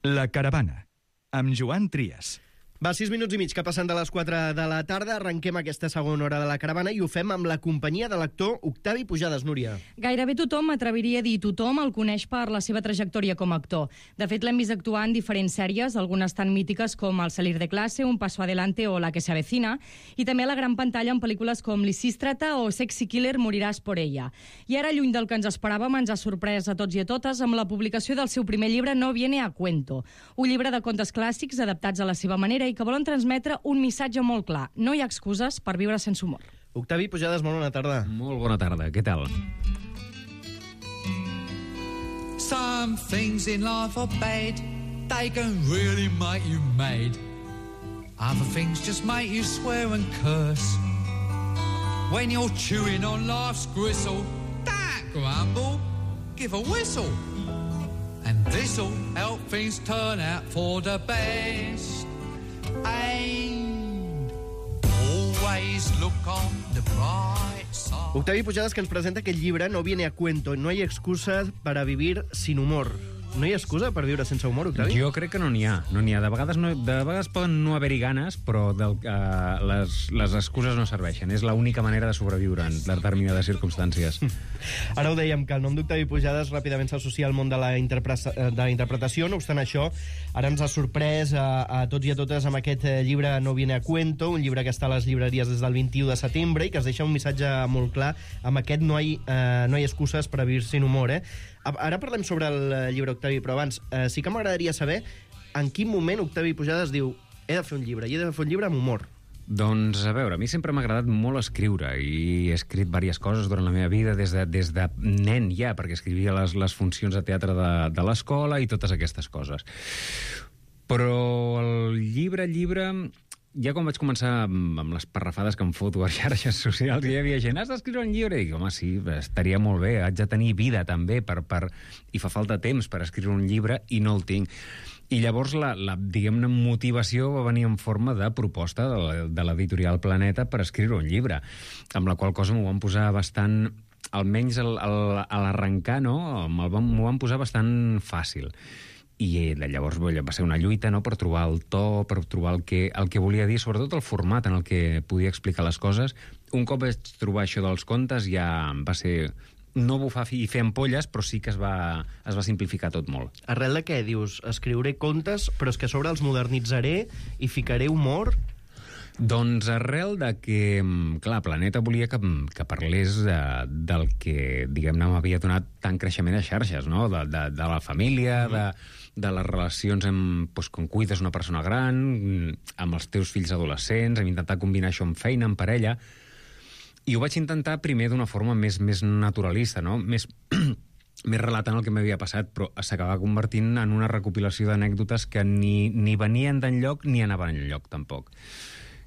La Caravana, amb Joan Trias. Va, 6 minuts i mig que passen de les 4 de la tarda. Arrenquem aquesta segona hora de La Caravana i ho fem amb la companyia de l'actor Octavi Pujades. Núria. Gairebé tothom, m'atreviria a dir tothom, el coneix per la seva trajectòria com a actor. De fet, l'hem vist actuar en diferents sèries, algunes tan mítiques com El salir de clase, Un paso adelante o La que se avecina, i també a la gran pantalla en pel·lícules com Lisístrata o Sexy Killer, moriràs por ella. I ara, lluny del que ens esperàvem, ens ha sorprès a tots i a totes amb la publicació del seu primer llibre No viene a cuento, un llibre de contes clàssics adaptats a la seva manera i que volen transmetre un missatge molt clar. No hi ha excuses per viure sense humor. Octavi Pujades, molt bona tarda. Molt bona tarda, què tal? Some things in life are bad, they can really make you mad. Other things just make you swear and curse. When you're chewing on life's gristle, don't grumble, give a whistle. And this'll help things turn out for the best. And always look on the bright side. Octavi Pujades, que ens presenta aquest llibre No viene a cuento, no hay excusa para vivir sin humor. No hi ha excusa per viure sense humor, Octavi? Jo crec que no n'hi ha. No n'hi ha. De vegades poden no haver-hi ganes, però les excuses no serveixen. És l'única manera de sobreviure en determinades circumstàncies. Ara ho dèiem, que el nom d'Octavi Pujades ràpidament s'associa al món de la interpretació. No obstant això, ara ens ha sorprès a tots i a totes amb aquest llibre No viene a cuento, un llibre que està a les llibreries des del 21 de setembre i que es deixa un missatge molt clar amb aquest no hay excuses per vivir sin humor. Ara parlem sobre el llibre, Octavi, però abans sí que m'agradaria saber en quin moment Octavi Pujades diu he de fer un llibre, i he de fer un llibre amb humor. Doncs, a veure, a mi sempre m'ha agradat molt escriure i he escrit diverses coses durant la meva vida des de nen ja, perquè escrivia les funcions de teatre de l'escola i totes aquestes coses. Però el llibre... Ja quan vaig començar amb les parrafades que em foto a xarxes socials, hi havia gent, has d'escriure un llibre? I dic, home, sí, estaria molt bé, haig de tenir vida també, i fa falta temps per escriure un llibre i no el tinc. I llavors la diguem-ne, motivació va venir en forma de proposta de l'editorial Planeta per escriure un llibre, amb la qual cosa m'ho van posar bastant, almenys a l'arrencar, no? M'ho van posar bastant fàcil. I llavors va ser una lluita, no?, per trobar el to, per trobar el que volia dir, sobretot el format en el que podia explicar les coses. Un cop vaig trobar això dels contes ja va ser no bufar i fer ampolles, però sí que es va simplificar tot molt. Arrel de què dius? Escriuré contes, però és que a sobre els modernitzaré i ficaré humor? Doncs arrel de que, clar, Planeta volia que parlés del que, diguem-ne, m'havia donat tant creixement a xarxes, no?, de la família, de les relacions quan cuides una persona gran, amb els teus fills adolescents, hem intentat combinar això amb feina, amb parella, i ho vaig intentar primer d'una forma més naturalista, no?, més relatant el que m'havia passat, però s'acabava convertint en una recopilació d'anècdotes que ni venien d'enlloc ni anaven enlloc, tampoc.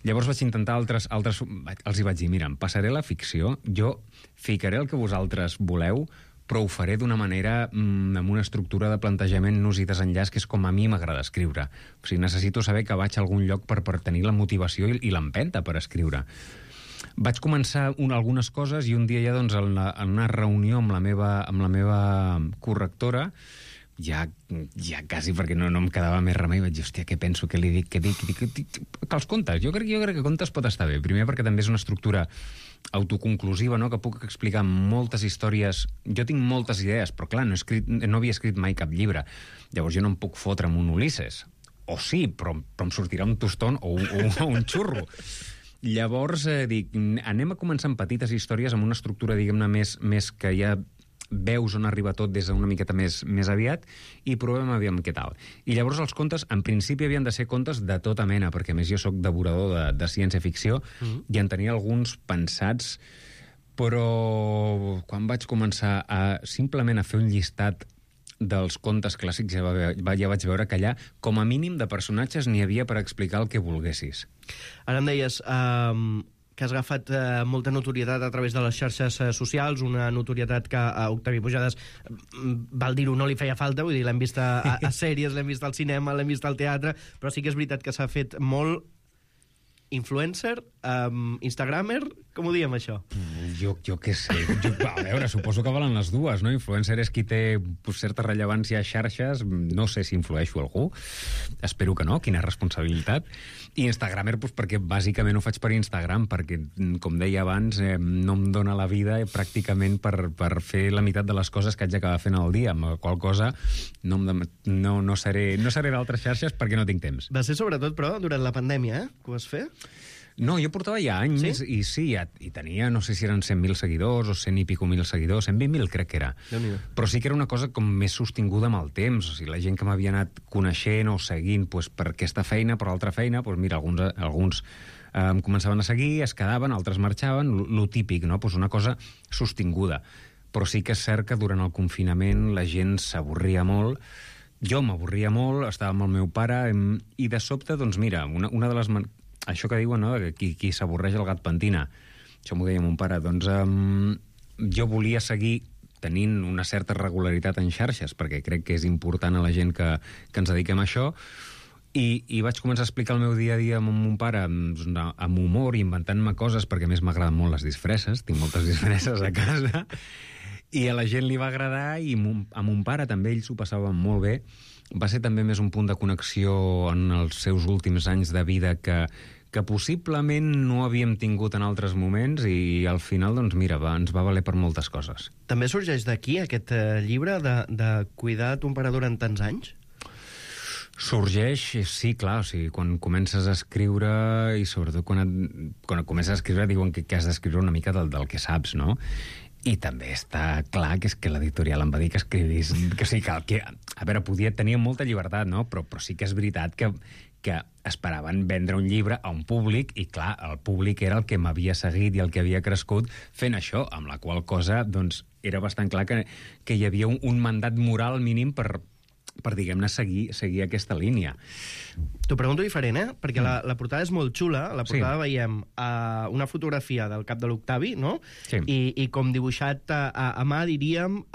Llavors vaig intentar els hi vaig dir, mira, em passaré la ficció, jo ficaré el que vosaltres voleu, però ho faré d'una manera amb una estructura de plantejament nus i desenllaç que és com a mi m'agrada escriure. O sigui, necessito saber que vaig a algun lloc per tenir la motivació i l'empenta per escriure. Vaig començar algunes coses i un dia ja, doncs, en una reunió amb la meva correctora, ja quasi perquè no em quedava més remei, vaig dir, hòstia, què penso, què li dic, què dic? Que els contes, jo crec que contes pot estar bé. Primer perquè també és una estructura autoconclusiva, no?, que puc explicar moltes històries. Jo tinc moltes idees, però clar, no havia escrit mai cap llibre. Llavors jo no em puc fotre amb un Ulisses. O sí, però em sortirà un tostón o un xurro. Llavors dic, anem a començar amb petites històries, amb una estructura, diguem-ne, més que ja veus on arriba tot des d'una miqueta més aviat i provem aviam què tal. I llavors els contes, en principi, havien de ser contes de tota mena, perquè a més jo sóc devorador de ciència-ficció i en tenia alguns pensats, però quan vaig començar simplement a fer un llistat dels contes clàssics ja vaig veure que allà, com a mínim de personatges, n'hi havia per explicar el que volguessis. Ara em deies que has agafat molta notorietat a través de les xarxes socials, una notorietat que a Octavi Pujades, val dir-ho, no li feia falta, vull dir, l'hem vist a sèries, l'hem vist al cinema, l'hem vist al teatre, però sí que és veritat que s'ha fet molt influencer, instagramer, com ho diem això? Jo què sé. A veure, suposo que valen les dues, no? Influencer és qui té certa rellevància a xarxes. No sé si influeixo algú. Espero que no, quina responsabilitat. I Instagramer, perquè bàsicament ho faig per Instagram, perquè, com deia abans, no em dóna la vida pràcticament per fer la meitat de les coses que haig d'acabar fent al dia, amb la qual cosa no seré d'altres xarxes perquè no tinc temps. Va ser sobretot, però, durant la pandèmia, que ho vas fer? No, jo portava ja anys, sí? I sí, i tenia, no sé si eren 100.000 seguidors o 100 i pico mil seguidors, 120.000 crec que era. Però sí que era una cosa com més sostinguda amb el temps, o sigui, la gent que m'havia anat coneixent o seguint per aquesta feina, per altra feina, mira, alguns em començaven a seguir, es quedaven, altres marxaven, lo típic, no? Una cosa sostinguda. Però sí que és cert que durant el confinament la gent s'avorria molt, jo m'avorria molt, estava amb el meu pare, i de sobte, doncs mira, una de les... Això que diuen, no?, que qui s'avorreix el gat pentina. Això m'ho deia mon pare. Doncs jo volia seguir tenint una certa regularitat en xarxes, perquè crec que és important a la gent que ens dediquem a això, i vaig començar a explicar el meu dia a dia amb mon pare amb humor i inventant-me coses, perquè a més m'agraden molt les disfresses, tinc moltes disfresses a casa, i a la gent li va agradar, i a mon pare també, ell s'ho passava molt bé. Va ser també més un punt de connexió en els seus últims anys de vida que possiblement no havíem tingut en altres moments, i al final, doncs mira, ens va valer per moltes coses. També sorgeix d'aquí aquest llibre de cuidar ton pare durant tants anys? Sorgeix, sí, clar, o sigui, quan comences a escriure, i sobretot quan comences a escriure diuen que has d'escriure una mica del que saps, no? I també està clar que és que l'editorial em va dir que escrivís... Que sí, que a veure, tenia molta llibertat, no? Però sí que és veritat que esperaven vendre un llibre a un públic, i clar, el públic era el que m'havia seguit i el que havia crescut fent això, amb la qual cosa, doncs, era bastant clar que hi havia un mandat moral mínim per diguem-ne, seguir aquesta línia. T'ho pregunto diferent, perquè la portada és molt xula. A la portada veiem una fotografia del cap de l'Octavi, no? Sí. I com dibuixat a mà, diríem,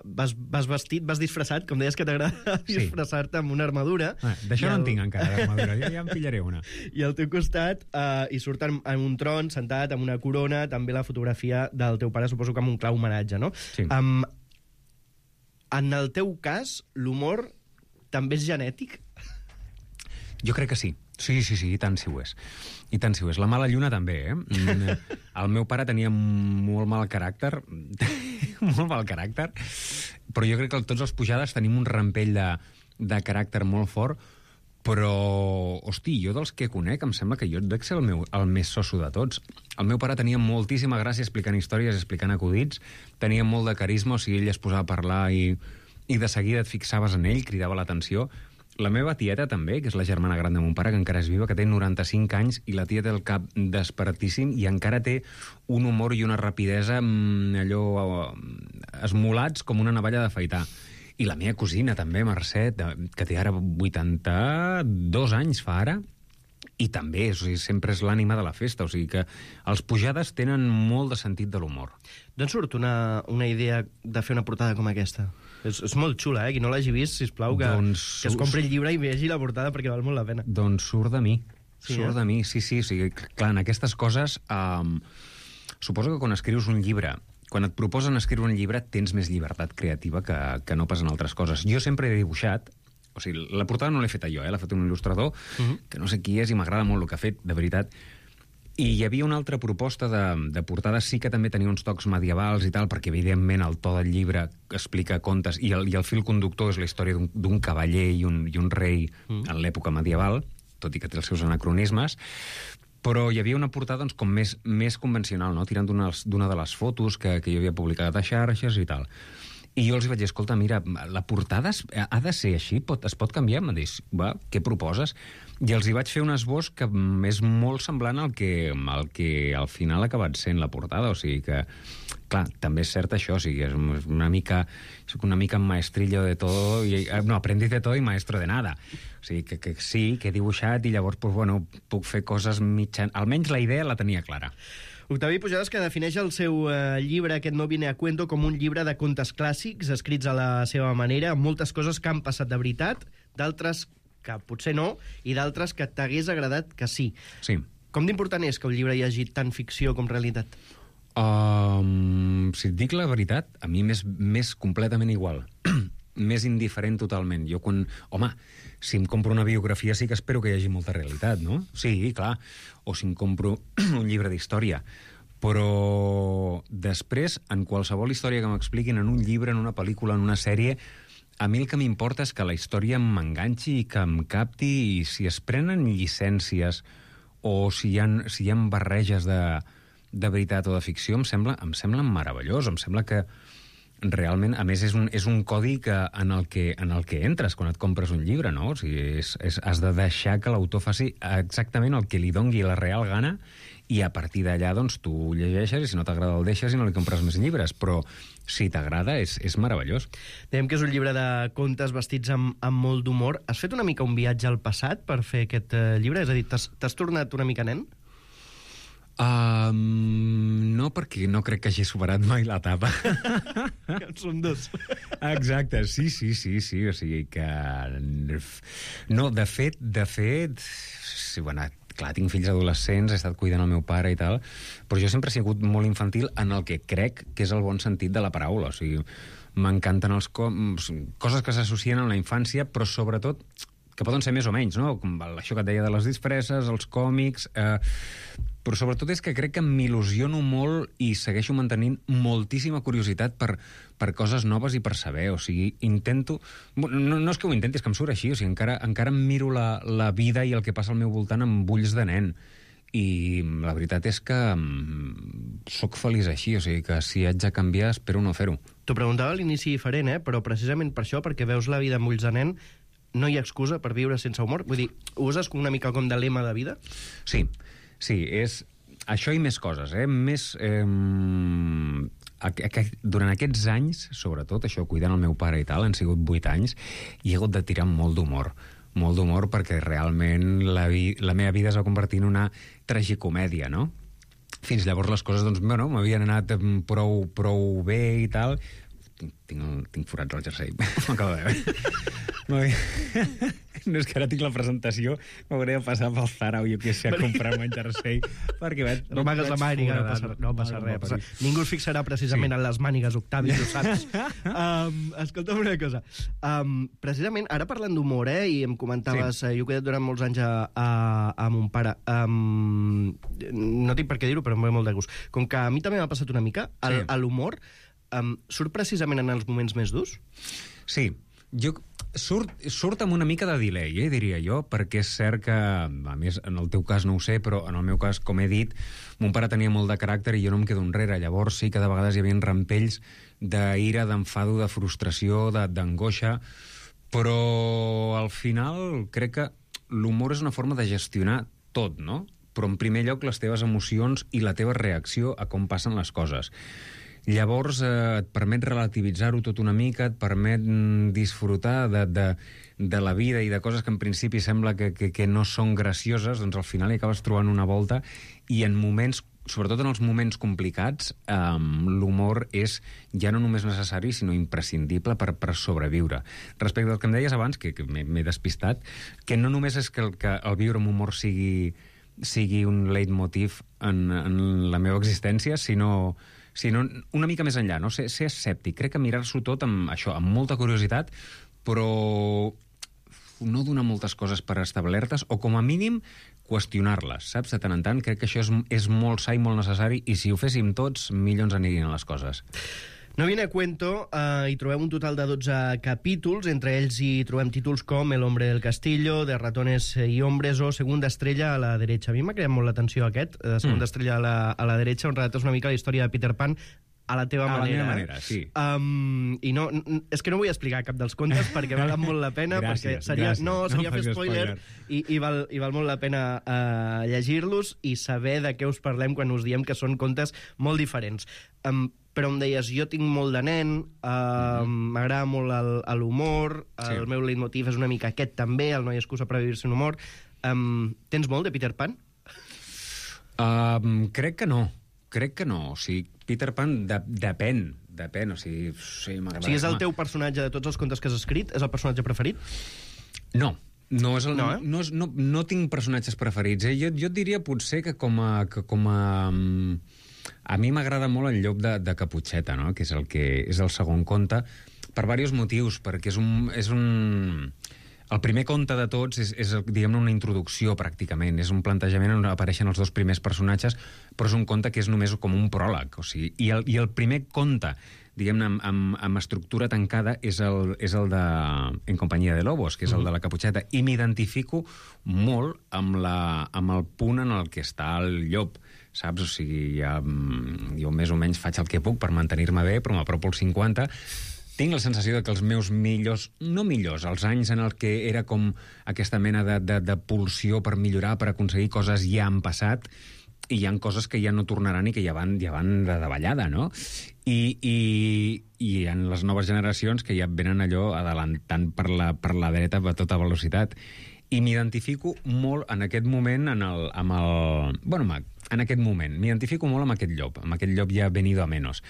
vas disfressat, com deies que t'agrada disfressar-te amb una armadura. D'això no en tinc encara, d'armadura. Ja en pillaré una. I al teu costat hi surt en un tron, sentat, amb una corona, també la fotografia del teu pare, suposo que amb un clar homenatge, no? Sí. En el teu cas, l'humor també és genètic? Jo crec que sí. Sí, i tant si ho és. I tant si ho és. La mala lluna també, El meu pare tenia molt mal caràcter, molt mal caràcter, però jo crec que tots els Pujades tenim un rampell de caràcter molt fort, però, hosti, jo dels que conec em sembla que jo dec ser el més soso de tots. El meu pare tenia moltíssima gràcia explicant històries, explicant acudits, tenia molt de carisma, o sigui, ell es posava a parlar i de seguida et fixaves en ell, cridava l'atenció. La meva tieta també, que és la germana gran de mon pare, que encara és viva, que té 95 anys, i la tia té el cap despertíssim i encara té un humor i una rapidesa allò esmolats com una navalla d'afaitar. I la meva cosina també, Mercè, que té ara 82 anys, fa ara, i també, o sigui, sempre és l'ànima de la festa, o sigui que els Pujades tenen molt de sentit de l'humor. D'on surt una idea de fer una portada com aquesta? És molt xula, Qui no l'hagi vist, sisplau, que es compri el llibre i vegi la portada perquè val molt la pena. Doncs surt de mi. Surt de mi, sí. O sigui, clar, en aquestes coses, suposo que quan escrius un llibre, quan et proposen escriure un llibre, tens més llibertat creativa que no pas en altres coses. Jo sempre he dibuixat, o sigui, la portada no l'he feta jo, l'ha fet un il·lustrador, que no sé qui és i m'agrada molt el que ha fet, de veritat. I hi havia una altra proposta de portada, sí que també tenia uns tocs medievals i tal, perquè evidentment el to del llibre explica contes, i el fil conductor és la història d'un cavaller i un rei en l'època medieval, tot i que té els seus anacronismes, però hi havia una portada doncs, com més convencional, no? Tirant d'una de les fotos que jo havia publicat a xarxes i tal. I jo els vaig dir, escolta, mira, la portada ha de ser així? Es pot canviar? Em dius, va, què proposes? I els hi vaig fer un esbós que és molt semblant al que al final ha acabat sent la portada, o sigui que, clar, també és cert això, o sigui, és una mica maestrillo de todo, no, aprendiz de todo y maestro de nada. O sigui, que sí, que he dibuixat i llavors, pues, bueno, puc fer coses almenys la idea la tenia clara. Octavi Pujades, que defineix el seu llibre, aquest No viene a cuento, com un llibre de contes clàssics, escrits a la seva manera, amb moltes coses que han passat de veritat, d'altres que potser no, i d'altres que t'hagués agradat que sí. Sí. Com d'important és que un llibre hi hagi tant ficció com realitat? Si et dic la veritat, a mi m'és completament igual. Més indiferent totalment. Jo quan... Home, si em compro una biografia sí que espero que hi hagi molta realitat, no? Sí, clar. O si em compro un llibre d'història. Però després, en qualsevol història que m'expliquin, en un llibre, en una pel·lícula, en una sèrie, a mi el que m'importa és que la història m'enganxi i que em capti, i si es prenen llicències o si hi ha barreges de veritat o de ficció, em sembla meravellós. Em sembla que realment, a més, és un codi en el que entres quan et compres un llibre, no? O sigui, has de deixar que l'autor faci exactament el que li dongui la real gana, i a partir d'allà, doncs, tu llegeixes, i si no t'agrada el deixes i no li compres més llibres. Però si t'agrada, és meravellós. Dèiem que és un llibre de contes vestits amb molt d'humor. Has fet una mica un viatge al passat per fer aquest llibre? És a dir, t'has tornat una mica nen? No, perquè no crec que hagi superat mai l'etapa. En som dos. Exacte, sí. O sigui que... No, de fet... Sí, bueno, clar, tinc fills adolescents, he estat cuidant el meu pare i tal, però jo sempre he sigut molt infantil en el que crec que és el bon sentit de la paraula. O sigui, m'encanten coses que s'associen a la infància, però sobretot que poden ser més o menys, no? Com això que et deia de les disfresses, els còmics... Però sobretot és que crec que m'il·lusiono molt i segueixo mantenint moltíssima curiositat per coses noves i per saber. O sigui, intento... No és que ho intenti, és que em surt així. O sigui, encara em miro la vida i el que passa al meu voltant amb ulls de nen. I la veritat és que sóc feliç així. O sigui, que si haig de canviar, espero no fer-ho. T'ho preguntava a l'inici diferent, però precisament per això, perquè veus la vida amb ulls de nen, no hi ha excusa per viure sense humor? Vull dir, ho uses com una mica com de lema de vida? Sí, és això i més coses, Més... durant aquests anys, sobretot, això, cuidant el meu pare i tal, han sigut 8 anys, i he hagut de tirar molt d'humor perquè realment la meva vida es va convertir en una tragicomèdia, no? Fins llavors les coses, doncs, bueno, m'havien anat prou bé i tal. Tinc forats al jersei. M'acabo de veure. No, és que ara tinc la presentació, m'hauré de passar pel Zara o jo què sé, a comprar-me un jersei, perquè no amagues la màniga, no passa res. Ningú es fixarà precisament en les mànigues, Octavi, ho saps. Escolta'm una cosa. Precisament, ara parlant d'humor, i em comentaves, jo he quedat durant molts anys a mon pare. No tinc per què dir-ho, però em ve molt de gust. Com que a mi també m'ha passat una mica, l'humor surt precisament en els moments més durs? Sí. Surt amb una mica de delay, diria jo, perquè és cert que, a més, en el teu cas no ho sé, però en el meu cas, com he dit, mon pare tenia molt de caràcter i jo no em quedo enrere. Llavors sí que de vegades hi havia rampells d'ira, d'enfado, de frustració, d'angoixa, però al final crec que l'humor és una forma de gestionar tot, no? Però en primer lloc les teves emocions i la teva reacció a com passen les coses. Llavors et permet relativitzar-ho tot una mica, et permet disfrutar de la vida i de coses que en principi sembla que no són gracioses, doncs al final hi acabes trobant una volta, i en moments, sobretot en els moments complicats, l'humor és ja no només necessari, sinó imprescindible per sobreviure. Respecte al que em deies abans, que m'he despistat, que no només és que el viure amb humor sigui un leitmotiv en la meva existència, sinó una mica més enllà, no? Ser escèptic. Crec que mirar-s'ho tot amb molta curiositat, però no donar moltes coses per establertes, o com a mínim qüestionar-les, saps? De tant en tant, crec que això és molt sa i molt necessari, i si ho féssim tots, millor ens anirien les coses. No viene a cuento, hi trobem un total de 12 capítols, entre ells hi trobem títols com El hombre del castillo, De ratones y hombres o Segunda estrella a la derecha. A mi m'ha creat molt l'atenció aquest, Segunda estrella a la derecha, on relates una mica la història de Peter Pan a la teva manera. A la meva manera, sí. I no, és que no vull explicar cap dels contes perquè valen molt la pena, gràcies, perquè seria fer spoiler, i val molt la pena llegir-los i saber de què us parlem quan us diem que són contes molt diferents. Però em deies, jo tinc molt de nen, m'agrada molt l'humor, el meu leitmotiv és una mica aquest també, el no hi ha excusa per viure-se en humor. Tens molt de Peter Pan? Crec que no. O sigui, Peter Pan depèn. O sigui, sí, m'agrada. O sigui, és el teu personatge de tots els contes que has escrit? És el personatge preferit? No. No tinc personatges preferits. Jo et diria potser que com a A mi m'agrada molt el llop de Caputxeta, no? Que és el segon conte, per diversos motius, perquè és un... El primer conte de tots és diguem-ne, una introducció, pràcticament. És un plantejament on apareixen els dos primers personatges, però és un conte que és només com un pròleg. O sigui, i el primer conte, diguem-ne, amb estructura tancada, és el de En companyia de lobos, que és el de la Caputxeta. I m'identifico molt amb el punt en el que està el llop, saps? O sigui, jo més o menys faig el que puc per mantenir-me bé, però m'apropo als 50. Tinc la sensació que els meus millors, no millors, els anys en el que era com aquesta mena de pulsió per millorar, per aconseguir coses, ja han passat, i hi ha coses que ja no tornaran i que ja van de davallada, no? I en les noves generacions que ja venen allò adelantant per la dreta a tota velocitat. I m'identifico molt en aquest moment en aquest moment. M'identifico molt amb aquest llop ja venido a menos.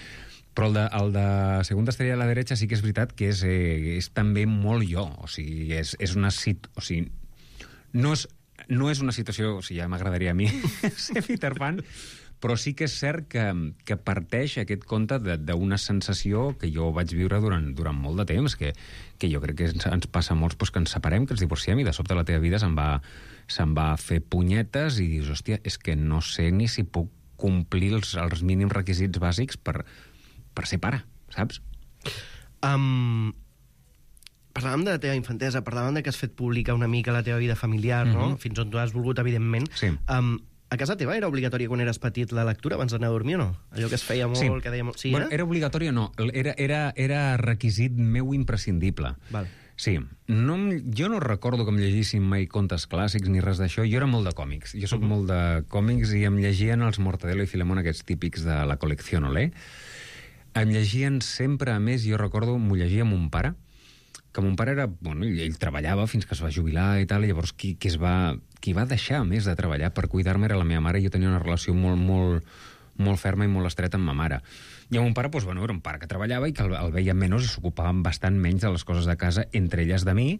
Però el de Segunda estrella a la derecha sí que és veritat que és també molt jo. O sigui, no és una situació... O sigui, ja m'agradaria a mi ser Peter Pan, però sí que és cert que parteix aquest conte d'una sensació que jo vaig viure durant molt de temps, que jo crec que ens passa a molts que ens separem, que ens divorciem, i de sobte la teva vida se'n va fer punyetes i dius, hòstia, és que no sé ni si puc complir els mínims requisits bàsics per ser pare, saps? Parlàvem de la teva infantesa, parlàvem de que has fet pública una mica la teva vida familiar, no? Fins on tu has volgut, evidentment. Sí. A casa teva era obligatòria quan eres petit la lectura abans d'anar a dormir o no? Allò que es feia molt, sí. Que deia molt... Sí, bueno, era obligatòria o no, era requisit meu imprescindible. Val. Sí. Jo no recordo que em llegissin mai contes clàssics ni res d'això. Jo era molt de còmics. Jo soc molt de còmics i em llegien els Mortadelo i Filemón, aquests típics de la col·lecció Olé. Em llegien sempre, a més, jo recordo, m'ho llegia amb mon pare, que mon pare era... Bueno, ell treballava fins que es va jubilar i tal, i llavors qui va deixar, a més, de treballar per cuidar-me era la meva mare, i jo tenia una relació molt ferma i molt estreta amb ma mare. I mon pare, doncs, bueno, era un pare que treballava i que el veia menys i s'ocupava bastant menys de les coses de casa, entre elles de mi,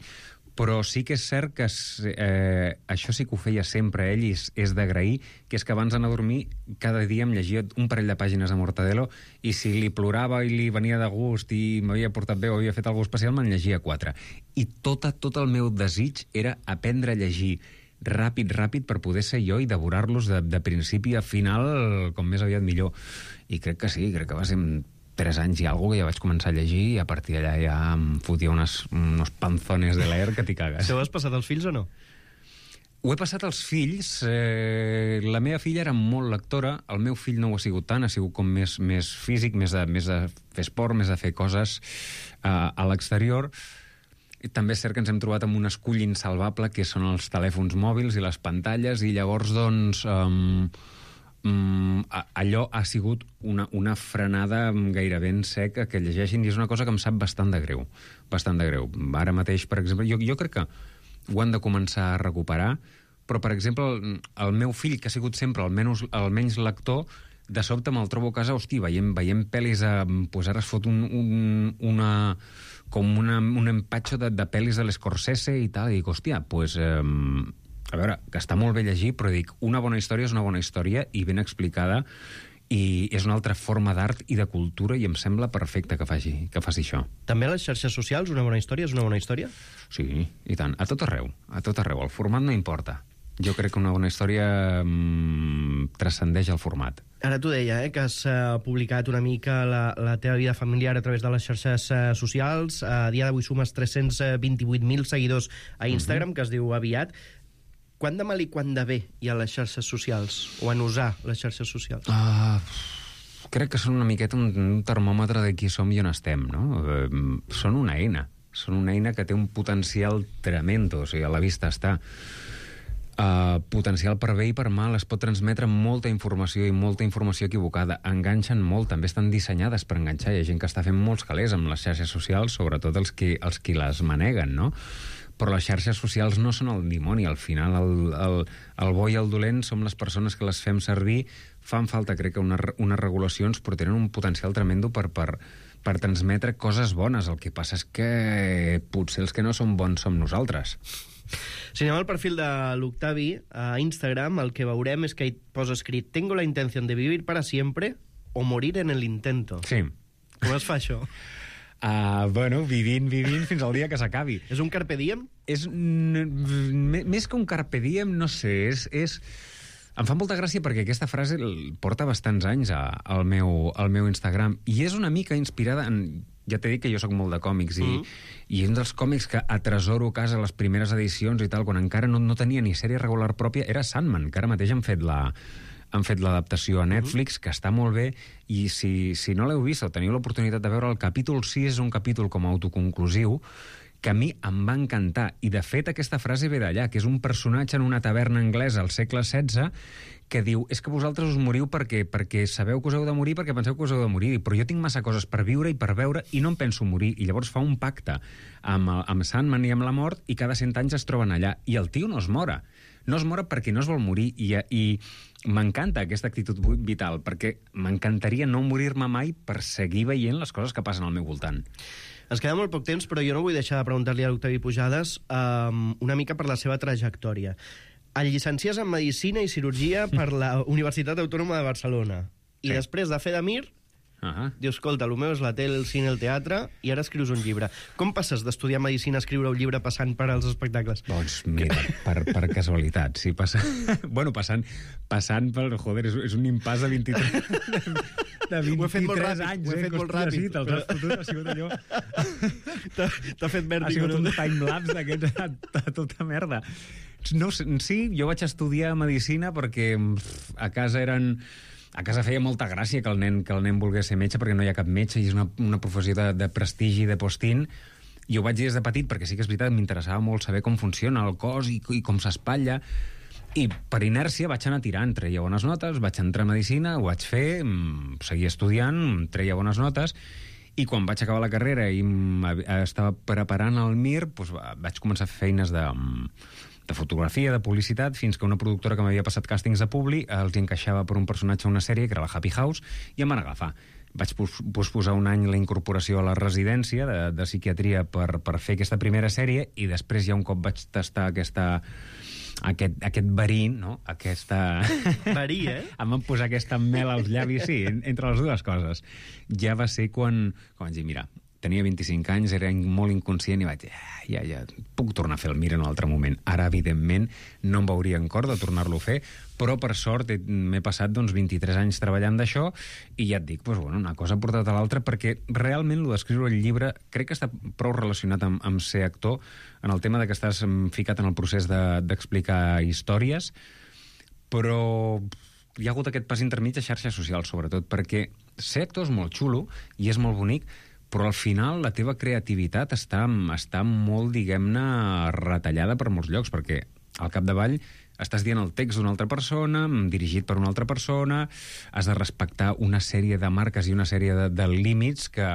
però sí que és cert que això sí que ho feia sempre ell, i és d'agrair, que és que abans d'anar a dormir cada dia em llegia un parell de pàgines de Mortadelo, i si li plorava i li venia de gust i m'havia portat bé o havia fet alguna cosa especial, me'n llegia 4. I tot el meu desig era aprendre a llegir ràpid per poder ser jo i devorar-los de principi a final com més aviat millor. I crec que sí, crec que va ser 3 anys i alguna que ja vaig començar a llegir, i a partir d'allà ja em fotia unos panzones de leer que t'hi cagues. Això ho has passat als fills o no? Ho he passat als fills. La meva filla era molt lectora, el meu fill no ho ha sigut tant, ha sigut com més físic, més de fer esport, més de fer coses a l'exterior. I també és cert que ens hem trobat amb un escull insalvable, que són els telèfons mòbils i les pantalles, i llavors, doncs... allò ha sigut una frenada gairebé en sec que llegeixin, i és una cosa que em sap bastant de greu. Ara mateix, per exemple, jo crec que ho han de començar a recuperar, però, per exemple, el meu fill, que ha sigut sempre el menys lector, de sobte me'l trobo a casa, hosti, veiem pel·lis, doncs ara es fot un empatxo de pel·lis de l'Scorsese i tal, i dic, hòstia, doncs... A veure, que està molt bé llegir, però dic, una bona història és una bona història i ben explicada, i és una altra forma d'art i de cultura, i em sembla perfecte que faci això. També a les xarxes socials una bona història és una bona història? Sí, i tant. A tot arreu. El format no importa. Jo crec que una bona història transcendeix el format. Ara t'ho deia, que has publicat una mica la teva vida familiar a través de les xarxes socials. A dia d'avui sumes 328.000 seguidors a Instagram, que es diu aviat. Quant de mal i quant de bé hi ha a les xarxes socials, o en usar les xarxes socials? Crec que són una miqueta un termòmetre de qui som i on estem, no? Són una eina que té un potencial tremendo, o sigui, a la vista està. Potencial per bé i per mal, es pot transmetre molta informació i molta informació equivocada, enganxen molt, també estan dissenyades per enganxar, hi ha gent que està fent molts calés amb les xarxes socials, sobretot els qui les maneguen, no? Però les xarxes socials no són el dimoni, al final el bo i el dolent som les persones que les fem servir. Fan falta, crec que, unes regulacions, però tenen un potencial tremendo per transmetre coses bones. El que passa és que potser els que no som bons som nosaltres. Si anem al perfil de l'Octavi, a Instagram, el que veurem és que hi posa escrit «Tengo la intención de vivir para siempre o morir en el intento». Sí. Com es fa això? Bueno, vivint fins al dia que s'acabi. És un carpe diem? És més que un carpe diem, no sé, és... Em fa molta gràcia perquè aquesta frase porta bastants anys al meu Instagram i és una mica inspirada en... Ja t'he dit que jo sóc molt de còmics i un dels còmics que atresoro a casa les primeres edicions i tal, quan encara no tenia ni sèrie regular pròpia, era Sandman, que ara mateix han fet l'adaptació a Netflix, que està molt bé, i si no l'heu vist o teniu l'oportunitat de veure, el capítol 6 és un capítol com a autoconclusiu que a mi em va encantar. I, de fet, aquesta frase ve d'allà, que és un personatge en una taverna anglesa al segle XVI que diu, és que vosaltres us moriu perquè sabeu que us heu de morir, perquè penseu que us heu de morir, però jo tinc massa coses per viure i per veure i no em penso morir. I llavors fa un pacte amb Sandman i amb la mort i cada 100 anys es troben allà. I el tio no es mora. No es mora perquè no es vol morir i m'encanta aquesta actitud vital, perquè m'encantaria no morir-me mai per seguir veient les coses que passen al meu voltant. Ens queda molt poc temps, però jo no vull deixar de preguntar-li a l'Octavi Pujades una mica per la seva trajectòria. El llicenciés en Medicina i Cirurgia per la Universitat Autònoma de Barcelona. I després de fer de Mir, dius, escolta, el meu és la tele, el cine, el teatre, i ara escrius un llibre. Com passes d'estudiar Medicina a escriure un llibre passant per als espectacles? Doncs mira, per casualitat, sí, bueno, passant per... Joder, és un impàs de 23... De 23 anys, ho he fet molt ràpid. Sí, te'ls has fotut, ha sigut allò... T'ha fet vèrtigo. Ha sigut un timelapse d'aquests a tota merda. No, sí, jo vaig estudiar Medicina perquè a casa feia molta gràcia que el nen volgués ser metge, perquè no hi ha cap metge i és una professió de prestigi, de postín. I ho vaig dir des de petit perquè sí que és veritat, m'interessava molt saber com funciona el cos i com s'espatlla. I per inèrcia vaig anar tirant, treia bones notes, vaig entrar a Medicina, ho vaig fer, seguia estudiant, treia bones notes, i quan vaig acabar la carrera i estava preparant el MIR, doncs vaig començar a fer feines de fotografia, de publicitat, fins que una productora que m'havia passat càstings de Publi els encaixava per un personatge a una sèrie, que era la Happy House, i em van agafar. Vaig posposar un any la incorporació a la residència de psiquiatria per fer aquesta primera sèrie, i després ja un cop vaig tastar aquest verí, no? Verí, em van posar aquesta mel als llavis, sí, entre les dues coses. Ja va ser quan vaig dir, mira, tenia 25 anys, era molt inconscient i vaig dir, ja, puc tornar a fer el Mir en un altre moment. Ara, evidentment, no em veuria en cor de tornar-lo a fer, però, per sort, m'he passat 23 anys treballant d'això i ja et dic, una cosa ha portat a l'altra, perquè realment el d'escriure el llibre crec que està prou relacionat amb ser actor, en el tema de que estàs ficat en el procés d'explicar històries, però hi ha hagut aquest pas intermig a xarxes socials, sobretot, perquè ser actor és molt xulo i és molt bonic, però al final la teva creativitat està molt, diguem-ne, retallada per molts llocs, perquè al capdavall estàs dient el text d'una altra persona, dirigit per una altra persona, has de respectar una sèrie de marques i una sèrie de límits que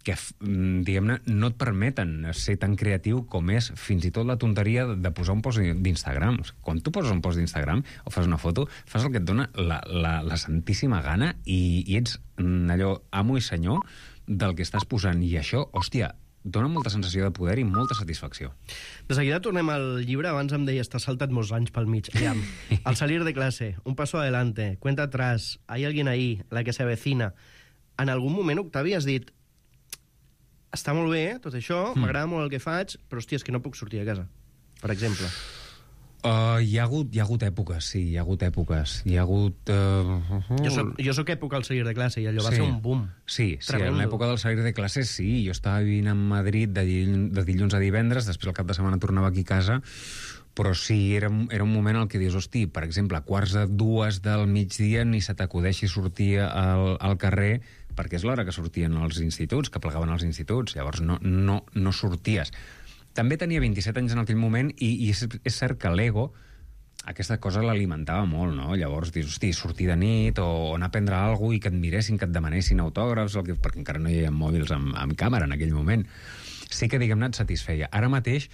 diguem-ne, no et permeten ser tan creatiu com és fins i tot la tonteria de posar un post d'Instagram. Quan tu poses un post d'Instagram o fas una foto, fas el que et dona la santíssima gana i ets allò amo i senyor del que estàs posant, i això, hòstia, dona molta sensació de poder i molta satisfacció. De seguida tornem al llibre. Abans em deies, t'has saltat molts anys pel mig. Aviam, al salir de clase, un paso adelante, cuenta atrás, hay alguien ahí, la que se avecina. En algun moment, Octavi, has dit, està molt bé, tot això, m'agrada molt el que faig, però, hòstia, és que no puc sortir de casa, per exemple. Hi ha hagut èpoques, sí, hi ha hagut èpoques. Hi ha hagut... Jo soc època al salir de classe i allò va ser un boom. Sí, en l'època del salir de classe sí. Jo estava vivint a Madrid de dilluns a divendres, després el cap de setmana tornava aquí a casa, però sí, era un moment en què dius, hosti, per exemple, a 1:45 del migdia ni se t'acudeixi sortir al carrer, perquè és l'hora que sortien els instituts, que plegaven als instituts, llavors no sorties. També tenia 27 anys en aquell moment i és cert que l'ego aquesta cosa l'alimentava molt, no? Llavors dius, hosti, sortir de nit o anar a prendre alguna cosa i que et miressin, que et demanessin autògrafs, perquè encara no hi havia mòbils amb càmera en aquell moment. Sí que, diguem-ne, et satisfeia. Ara mateix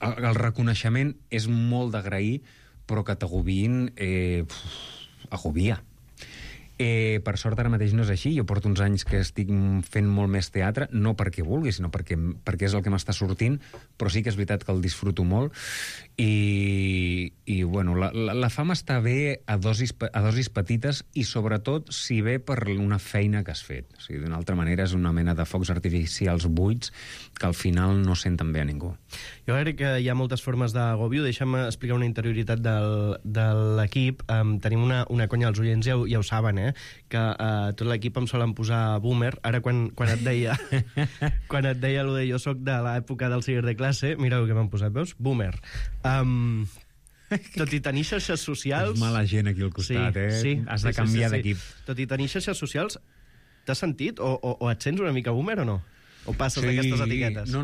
el reconeixement és molt d'agrair, però que t'agobiïn agobia. Per sort ara mateix no és així. Jo porto uns anys que estic fent molt més teatre, no perquè vulgui, sinó perquè és el que m'està sortint, però sí que és veritat que el disfruto molt. I bueno, la fama està bé a dosis petites i sobretot si ve per una feina que has fet. O sigui, d'una altra manera és una mena de focs artificials buits que al final no senten bé a ningú. Jo crec que hi ha moltes formes d'agòbio. Deixa'm explicar una interioritat de l'equip. Tenim una conya, els oients ja ho saben, que tot l'equip em solen posar boomer. Ara quan et deia quan et deia allò de jo soc de l'època del ciber de classe, mira el que m'han posat, veus? Boomer. Tot i tenir xarxes socials... És mala gent aquí al costat, sí, Has de canviar d'equip. Tot i tenir xarxes socials, t'has sentit? O et sents una mica boomer o no? O passes d'aquestes etiquetes? No,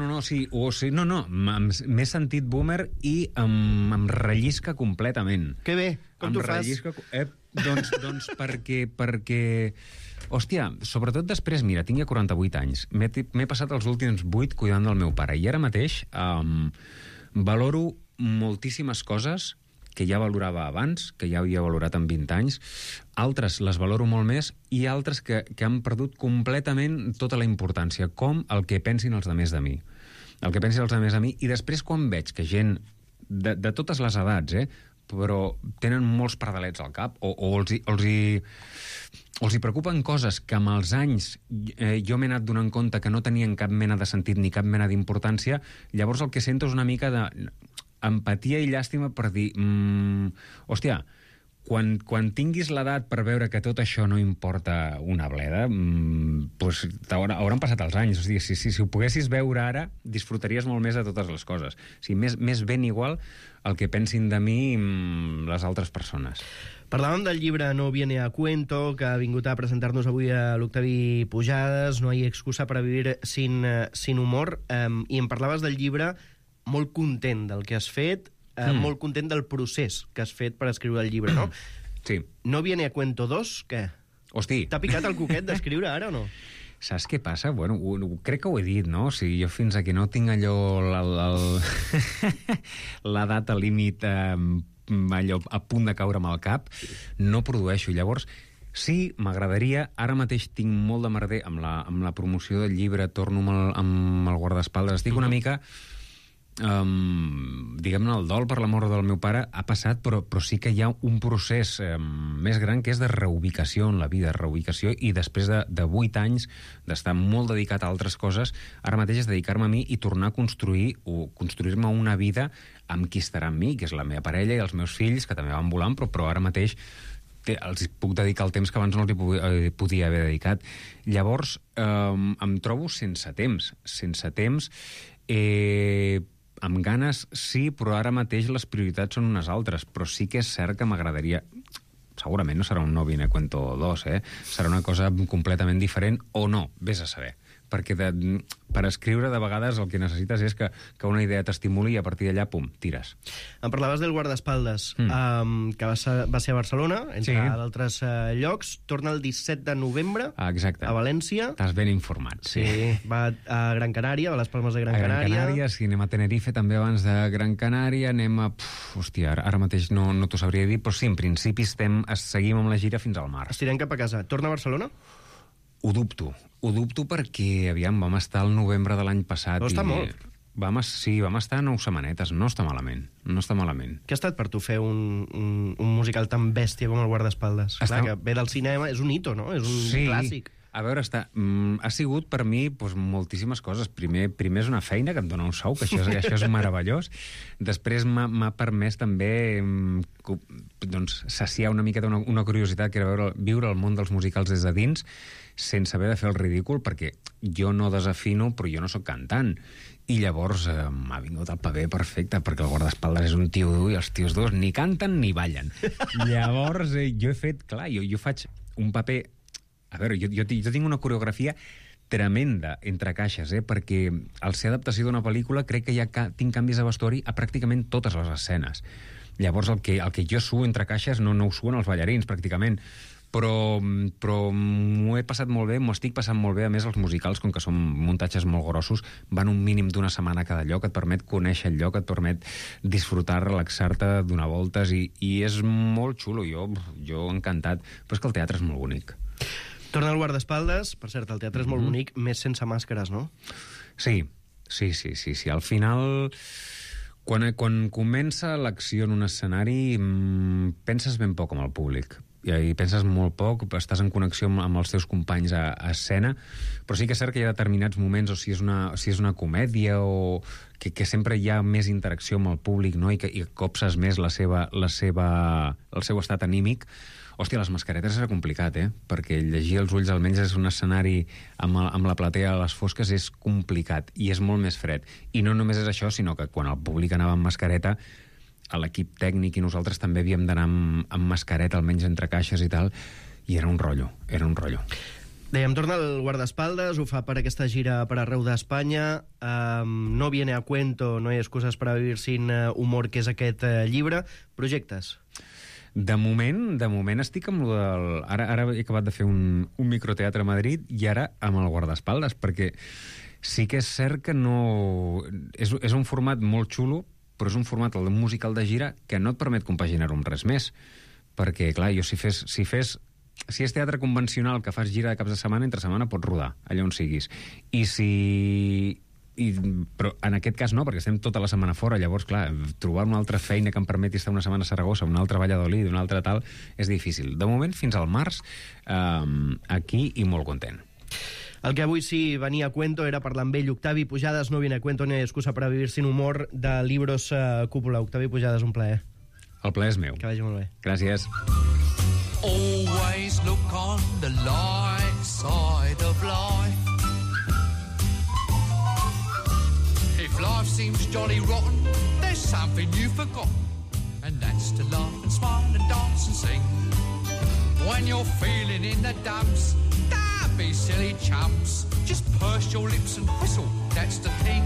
m'he sentit boomer i em rellisca completament. Que bé, com t'ho fas? Doncs perquè... Hòstia, sobretot després, mira, tinc ja 48 anys. M'he passat els últims 8 cuidant del meu pare i ara mateix valoro moltíssimes coses que ja valorava abans, que ja havia valorat en 20 anys, altres les valoro molt més i altres que han perdut completament tota la importància, com el que pensin els altres de mi. El que pensin els altres de mi, i després quan veig que gent de totes les edats, però tenen molts pardalets al cap, o els hi preocupen coses que amb els anys jo m'he anat donant compte que no tenien cap mena de sentit ni cap mena d'importància, llavors el que sento és una mica d'empatia i llàstima per dir, hòstia, quan tinguis l'edat per veure que tot això no importa una bleda, doncs hauran passat els anys. O sigui, si ho poguessis veure ara, disfrutaries molt més de totes les coses. O sigui, més ben igual el que pensin de mi les altres persones. Parlàvem del llibre No viene a cuento, que ha vingut a presentar-nos avui a l'Octavi Pujades, No hay excusa para vivir sin humor, i em parlaves del llibre molt content del que has fet, molt content del procés que has fet per escriure el llibre, no? Sí. No viene a cuento 2, què? Hosti. T'ha picat el coquet d'escriure ara o no? Saps què passa? Bueno, crec que ho he dit, no? O sigui, jo fins que no tinc allò la data límit allò a punt de caure amb el cap, no produeixo. Llavors, sí, m'agradaria, ara mateix tinc molt de merder amb la promoció del llibre, torno amb el guardaespaldes, estic una mica... diguem-ne, el dol per la mort del meu pare ha passat, però sí que hi ha un procés més gran que és de reubicació en la vida, reubicació, i després de 8 anys d'estar molt dedicat a altres coses, ara mateix és dedicar-me a mi i tornar a construir-me una vida amb qui estarà amb mi, que és la meva parella i els meus fills, que també van volant, però ara mateix els puc dedicar el temps que abans no els podia haver dedicat. Llavors em trobo sense temps, amb ganes, sí, però ara mateix les prioritats són unes altres, però sí que és cert que m'agradaria... Segurament no serà un No viene a cuento 2, serà una cosa completament diferent, o no, vés a saber. Perquè per escriure, de vegades, el que necessites és que una idea t'estimuli i a partir d'allà, pum, tires. Em parlaves del guardaespaldes, que va ser a Barcelona, entre d'altres llocs. Torna el 17 de novembre a València. Estàs ben informat, sí. Va a Gran Canària, a les Palmes de Gran Canària. Gran Canària, sí, anem a Tenerife també abans de Gran Canària, anem a... Hòstia, ara mateix no t'ho sabria dir, però sí, en principi seguim amb la gira fins al març. Estirem cap a casa. Torna a Barcelona? Ho dubto perquè, aviam, vam estar al novembre de l'any passat. No està molt. Vam estar 9 setmanetes, no està malament. Què ha estat per tu fer un musical tan bèstia com el guardaespaldes? Clar, que ve del cinema, és un hito, no? És un clàssic. A veure, ha sigut per mi moltíssimes coses. Primer és una feina que em dona un sou, que això és meravellós. Després m'ha permès també saciar una miqueta una curiositat, que era viure el món dels musicals des de dins, sense haver de fer el ridícul, perquè jo no desafino, però jo no sóc cantant. I llavors m'ha vingut el paper perfecte, perquè el guardaespaldes és un tio dur i els tios durs ni canten ni ballen. Llavors jo he fet, clar, jo faig un paper... A veure, jo tinc una coreografia tremenda entre caixes, perquè al ser adaptació d'una pel·lícula crec que ja tinc canvis de vestuari a pràcticament totes les escenes. Llavors el que jo suo entre caixes no ho suen els ballarins, pràcticament. però m'ho he passat molt bé, m'ho estic passant molt bé. A més, els musicals, com que són muntatges molt grossos, van un mínim d'una setmana a cada lloc, et permet conèixer el lloc, et permet disfrutar, relaxar-te, donar voltes, i és molt xulo. Jo encantat. Però és que el teatre és molt bonic. Torna al guardaespaldes. Per cert, el teatre és molt bonic, més sense màscares, no? Sí. Al final, quan comença l'acció en un escenari, penses ben poc amb el públic. I penses molt poc, estàs en connexió amb els teus companys a escena, però sí que és cert que hi ha determinats moments, o si és una comèdia, o que sempre hi ha més interacció amb el públic, no? I copses més el seu estat anímic. Hòstia, les mascaretes és complicat, perquè llegir els ulls, almenys és un escenari amb la platea a les fosques, és complicat, i és molt més fred. I no només és això, sinó que quan el públic anava amb mascareta, a l'equip tècnic i nosaltres també havíem d'anar amb mascareta, almenys entre caixes i tal, i era un rotllo. Dèiem, torna al guardaespaldes, ho fa per aquesta gira per arreu d'Espanya, No viene a cuento, no hay excusas para vivir sin humor, que és aquest llibre. Projectes? De moment estic amb lo del... Ara he acabat de fer un microteatre a Madrid i ara amb el guardaespaldes, perquè sí que és cert que no... És un format molt xulo, però és un format, el musical de gira, que no et permet compaginar-ho amb res més. Perquè, clar, si és teatre convencional que fas gira de caps de setmana, entre setmana pots rodar, allà on siguis. Però en aquest cas no, perquè estem tota la setmana fora. Llavors, clar, trobar una altra feina que em permeti estar una setmana a Saragossa, una altra a Valladolid, una altra tal, és difícil. De moment, fins al març, aquí, i molt content. El que avui sí venia a cuento era parlar amb ell. Octavi Pujades, No viene a cuento, ni hay excusa para vivir sin humor, de Libros Cúpula. Octavi Pujades, un plaer. El plaer és meu. Que vagi molt bé. Gràcies. Always look on the light side of life. If life seems jolly rotten, there's something you've forgotten, and that's to laugh and smile and dance and sing. When you're feeling in the dumps, don't be silly chumps. Just purse your lips and whistle, that's the thing.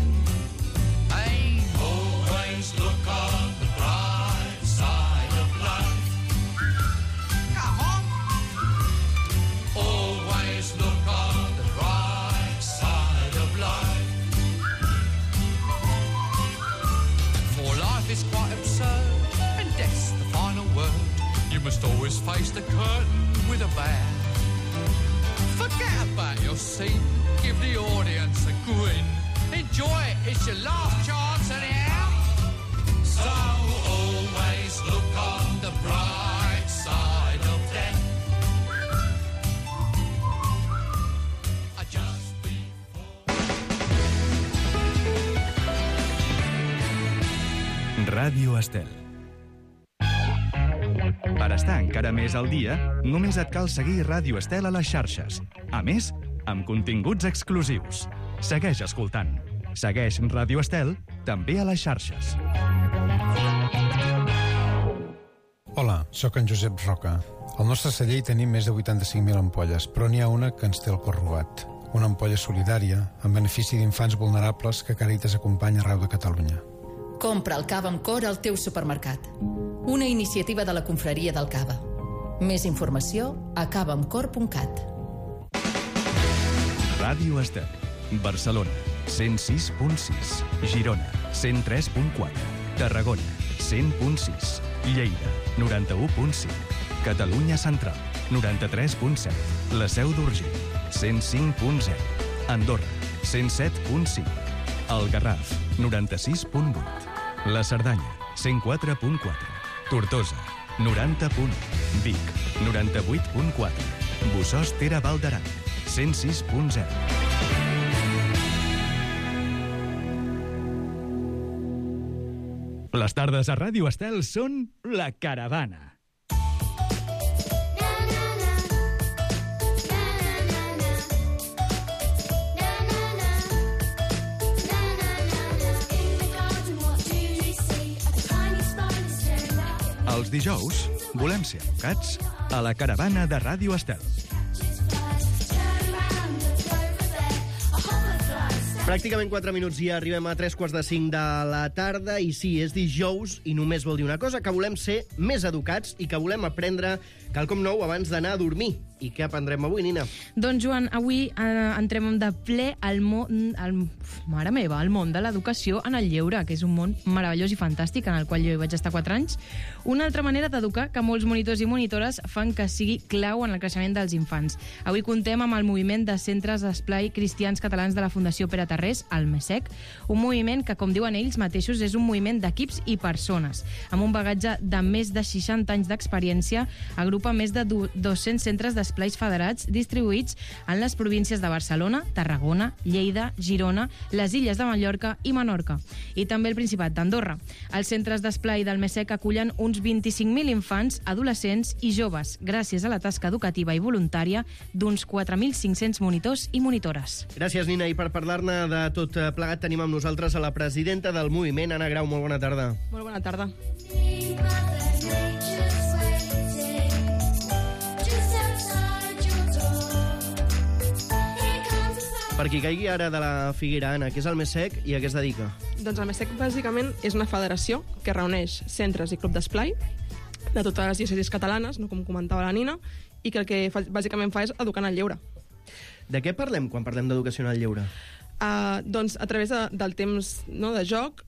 Hey, always look on the bright side of life. Come on. Always look on the bright side of life. For life is quite absurd, and death's the final word. You must always face the curtain with a bow. Forget about your seat, give the audience a grin. Enjoy it, it's your last chance anyhow. So always look on the bright side of death. Just before. Ràdio Estel. Per estar encara més al dia, només et cal seguir Ràdio Estel a les xarxes. A més, amb continguts exclusius. Segueix escoltant. Segueix Ràdio Estel també a les xarxes. Hola, sóc en Josep Roca. Al nostre celler hi tenim més de 85.000 ampolles, però n'hi ha una que ens té el cor robat. Una ampolla solidària, en benefici d'infants vulnerables que Càritas acompanya arreu de Catalunya. Compra el cava amb cor al teu supermercat. Una iniciativa de la Confraria del Cava. Més informació a cavaamcor.cat. Ràdio Estel. Barcelona, 106.6. Girona, 103.4. Tarragona, 100.6. Lleida, 91.5. Catalunya Central, 93.7. La Seu d'Urgell, 105.0. Andorra, 107.5. El Garraf, 96.8. La Cerdanya, 104.4. Tortosa, 90.1. Vic, 98.4. Bossòst-Tere Val d'Aran, 106.0. Les tardes a Ràdio Estel són La Caravana. Els dijous volem ser educats a La Caravana de Ràdio Estel. Pràcticament 4 minuts i arribem a 3:45 de la tarda i sí, és dijous i només vol dir una cosa, que volem ser més educats i que volem aprendre quelcom nou abans d'anar a dormir. I què aprendrem avui, Nina? Doncs, Joan, avui entrem de ple al món, mare meva, al món de l'educació en el lleure, que és un món meravellós i fantàstic en el qual jo hi vaig estar 4 anys. Una altra manera d'educar que molts monitors i monitores fan que sigui clau en el creixement dels infants. Avui contem amb el moviment de centres d'esplai cristians catalans de la Fundació Pere Tarrés, el MESEC, un moviment que, com diuen ells mateixos, és un moviment d'equips i persones. Amb un bagatge de més de 60 anys d'experiència, agrupa més de 200 centres d'esplais federats distribuïts en les províncies de Barcelona, Tarragona, Lleida, Girona, les Illes de Mallorca i Menorca, i també el Principat d'Andorra. Els centres d'esplai del MESEC acullen uns 25.000 infants, adolescents i joves, gràcies a la tasca educativa i voluntària d'uns 4.500 monitors i monitores. Gràcies, Nina. I per parlar-ne de tot plegat tenim amb nosaltres a la presidenta del moviment, Anna Grau. Molt bona tarda. Molt bona tarda. Per qui caigui ara de la Figuera, Anna, què és el MESEC i a què es dedica? Doncs el MESEC, bàsicament, és una federació que reuneix centres i club d'esplai de totes les diòcesis catalanes, no, com comentava la Nina, i que el que bàsicament fa és educar en el lleure. De què parlem quan parlem d'educació en el lleure? Doncs a través del temps, no, de joc,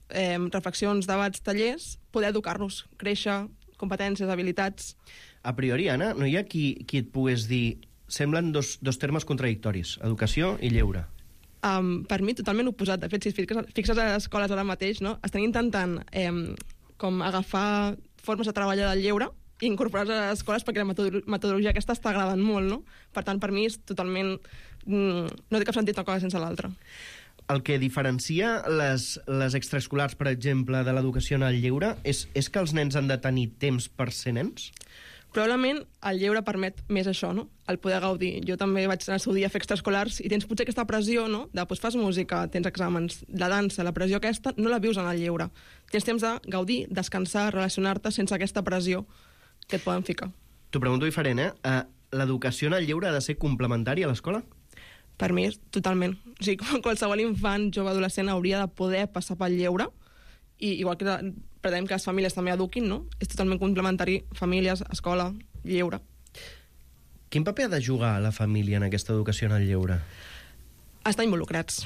reflexions, debats, tallers, poder educar-los, créixer, competències, habilitats. A priori, Anna, no hi ha qui et pogués dir... Semblen dos termes contradictoris, educació i lleure. Per mi, totalment oposat. De fet, si fixes a les escoles ara mateix, no, estan intentant com agafar formes de treballar del lleure i incorporar-les a les escoles perquè la metodologia aquesta està agradant molt, no? Per tant, per mi és totalment... No té cap sentit una cosa sense l'altra. El que diferencia les extraescolars, per exemple, de l'educació en el lleure és que els nens han de tenir temps per ser nens? Probablement el lleure permet més això, no? El poder gaudir. Jo també vaig en el seu dia a fer extraescolars i tens potser aquesta pressió, no? Doncs fas música, tens exàmens, la dansa, la pressió aquesta, no la vius en el lleure. Tens temps de gaudir, descansar, relacionar-te sense aquesta pressió que et poden ficar. T'ho pregunto diferent, l'educació en el lleure ha de ser complementària a l'escola? Per mi, totalment. O sigui, qualsevol infant, jove, adolescent hauria de poder passar pel lleure i igual que pretenem que les famílies també eduquin, no? És totalment complementari, famílies, escola, lleure. Quin paper ha de jugar la família en aquesta educació en el lleure? Estar involucrats.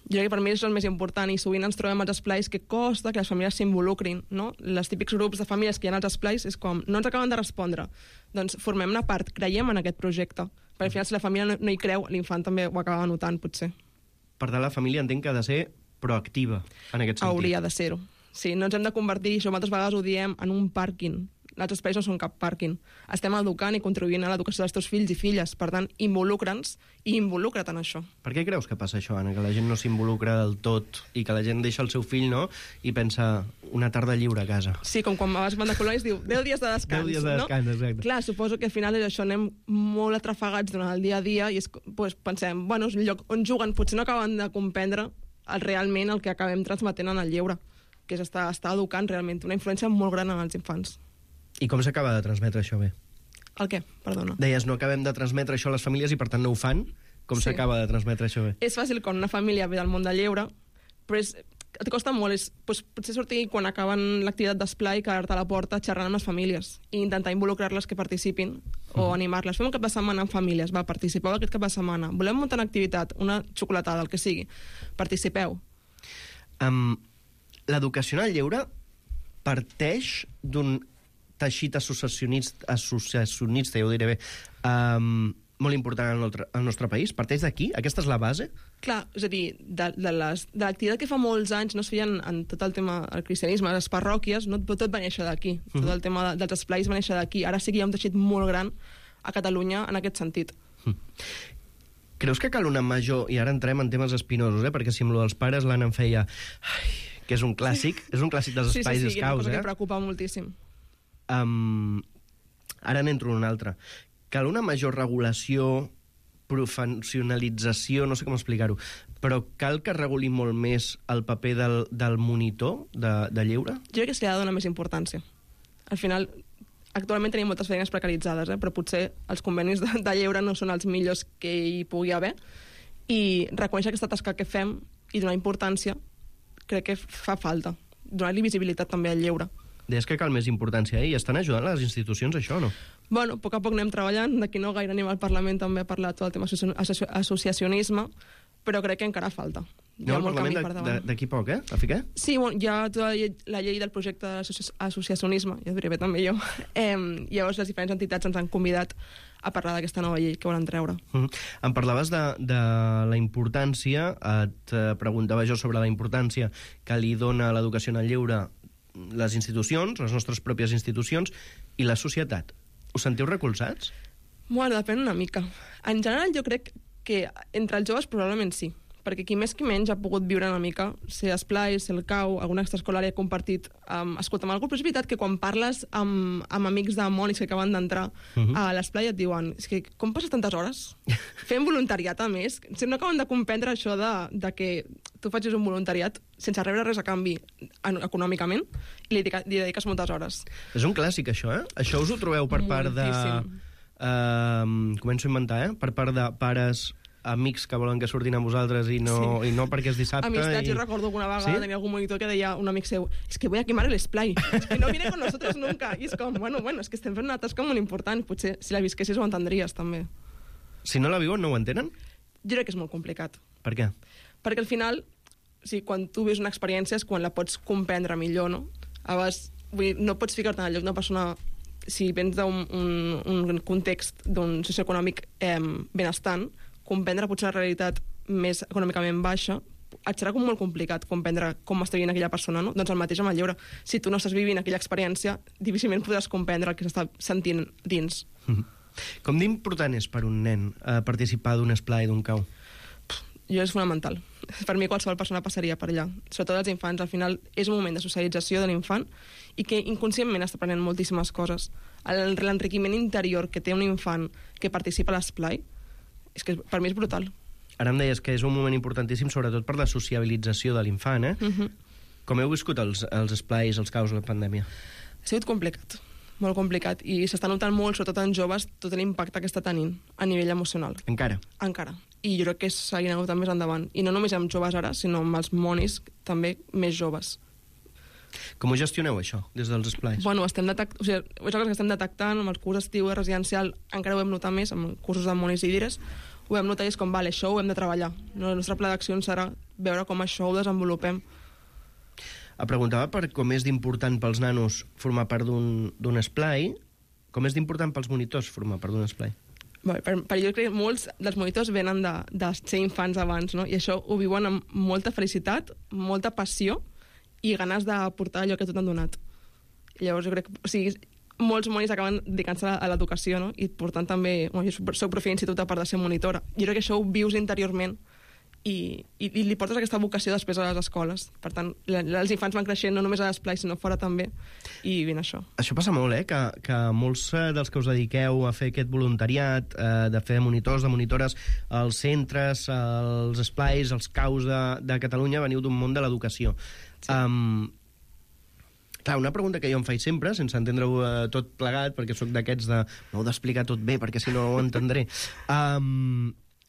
Jo crec que per mi és el més important i sovint ens trobem als esplais que costa que les famílies s'involucrin, no? Els típics grups de famílies que hi ha als esplais és com, no ens acaben de respondre. Doncs formem una part, creiem en aquest projecte. Perquè al final si la família no hi creu, l'infant també ho acaba notant, potser. Per tant, la família entenc que ha de ser proactiva en aquest sentit. Hauria de ser-ho. Sí, no ens hem de convertir, això moltes vegades ho diem, en un pàrquing. Els espais no són cap pàrquing. Estem educant i contribuint a l'educació dels teus fills i filles. Per tant, involucra'ns i involucra't en això. Per què creus que passa això, Anna? Que la gent no s'involucra del tot i que la gent deixa el seu fill, no?, i pensa una tarda lliure a casa. Sí, com quan vas de colònies diu 10 dies de descans. 10 dies de descans, no? Exacte. Clar, suposo que al final és això, anem molt atrafegats durant el dia a dia i doncs, pensem, bueno, és un lloc on juguen, potser no acaben de comprendre realment el que acabem transmetent en el lleure, que és estar educant realment, una influència molt gran en els infants. I com s'acaba de transmetre això bé? El què? Perdona. Deies, no acabem de transmetre això a les famílies i per tant no ho fan? Com s'acaba de transmetre això bé? És fàcil quan una família ve del món del lleure, però et costa molt. Potser sortir quan acaben l'activitat d'esplai, quedar-te a la porta xerrant amb les famílies i intentar involucrar-les que participin o animar-les. Fem un cap de setmana amb famílies, va, participeu aquest cap de setmana. Volem muntar una activitat, una xocolatada, el que sigui. Participeu. L'educació en el lleure parteix d'un teixit associacionista, ja ho diré bé, molt important al nostre país. Parteix d'aquí? Aquesta és la base? Clar, és a dir, de l'activitat que fa molts anys no es feien en tot el tema del cristianisme, les parròquies, no, tot va néixer d'aquí. Tot el tema dels esplais va néixer d'aquí. Ara sí que hi ha un teixit molt gran a Catalunya en aquest sentit. Creus que cal una major... I ara entrem en temes espinosos, perquè si amb lo dels pares l'Anna em feia... que és un clàssic, és un clàssic dels espais escaus, Sí, una cosa que preocupa moltíssim. Ara n'entro en una altra. Cal una major regulació, professionalització, no sé com explicar-ho, però cal que reguli molt més el paper del monitor de lleure? Jo crec que se li ha de donar més importància. Al final, actualment tenim moltes feines precaritzades, però potser els convenis de lleure no són els millors que hi pugui haver, i reconèixer aquesta tasca que fem, i donar importància crec que fa falta. Donar-li visibilitat també al lleure. Deies que cal més importància, i estan ajudant les institucions això, no? Bueno, a poc anem treballant, d'aquí no gaire anem al Parlament també a parlar tot el tema associacionisme, però crec que encara falta. No, al Parlament d'aquí poc, A fi què? Sí, bueno, hi ha tota la llei del projecte d'associacionisme, ja diré bé també jo. Llavors les diferents entitats ens han convidat a parlar d'aquesta nova llei que volen treure. Em parlaves de la importància, et preguntava jo sobre la importància que li dona l'educació en el lleure les institucions, les nostres pròpies institucions, i la societat. Us sentiu recolzats? Bueno, depèn una mica. En general jo crec que entre els joves probablement sí, perquè qui més qui menys ha pogut viure una mica, ser esplai, ser el cau, alguna extraescolar he compartit, escolta'm, algú, però és veritat que quan parles amb amics de monis que acaben d'entrar a l'esplai et diuen, és que com passes tantes hores fent voluntariat a més? Si no acaben de comprendre això de que tu facis un voluntariat sense rebre res a canvi econòmicament i li dediques moltes hores. És un clàssic això, Això us ho trobeu per part de... començo a inventar, Per part de pares, amics que volen que surtin amb vosaltres i no perquè és dissabte. Amistats, jo recordo que una vegada tenia algun monitor que deia un amic seu, es que voy a quemar el esplai, es que no viene con nosotros nunca. I és com, bueno, és que estem fent una tasca molt important, potser si la visquessis ho entendries també. Si no la viuen, no ho entenen? Jo crec que és molt complicat. Per què? Perquè al final, quan tu vius una experiència és quan la pots comprendre millor, no? A vegades, no pots ficar-te en el lloc d'una persona, si vens d'un context d'un socioeconòmic benestant, comprendre potser la realitat més econòmicament baixa, et serà molt complicat comprendre com està vivint aquella persona, no? Doncs el mateix amb el lleure. Si tu no estàs vivint aquella experiència, difícilment podràs comprendre el que s'està sentint dins. Com d'important és per un nen participar d'un esplai, d'un cau? Jo és fonamental. Per mi qualsevol persona passaria per allà. Sobretot els infants, al final és un moment de socialització de l'infant i que inconscientment està aprenent moltíssimes coses. L'enriquiment interior que té un infant que participa a l'esplai és que per mi és brutal. Ara em deies que és un moment importantíssim sobretot per la sociabilització de l'infant, Com heu viscut els esplais, els caus, la pandèmia? Ha sigut complicat, molt complicat, i s'està notant molt, sobretot en joves, tot l'impacte que està tenint a nivell emocional. Encara? Encara. I jo crec que seguirà notant més endavant. I no només amb joves ara, sinó amb els monis també més joves. Com ho gestioneu, això, des dels esplais? Bueno, és una cosa que estem detectant amb el curs estiu residencial, encara ho hem notat més, amb cursos de monis i dires, ho hem notat i és com, vale, això ho hem de treballar. El nostre pla d'accions serà veure com això ho desenvolupem. Em preguntava per com és d'important pels nanos formar part d'un esplai, com és d'important pels monitors formar part d'un esplai? Jo crec que molts dels monitors venen de ser infants abans, no? I això ho viuen amb molta felicitat, molta passió, i ganes d'aportar allò que tot han donat. Llavors jo crec que molts monis acaben dedicant-se a l'educació, no? I per tant també, jo soc profe d'institut a part de ser monitora. Jo crec que això ho vius interiorment i li portes aquesta vocació després a les escoles. Per tant, els infants van creixent no només a l'esplai, sinó fora també, i ben això. Això passa molt, que molts dels que us dediqueu a fer aquest voluntariat, de fer monitors, de monitores, als centres, als esplais, als caus de Catalunya, veniu d'un món de l'educació. Sí. Clar, una pregunta que jo em faig sempre, sense entendre-ho tot plegat, perquè sóc d'aquests de no heu d'explicar tot bé, perquè si no ho entendré,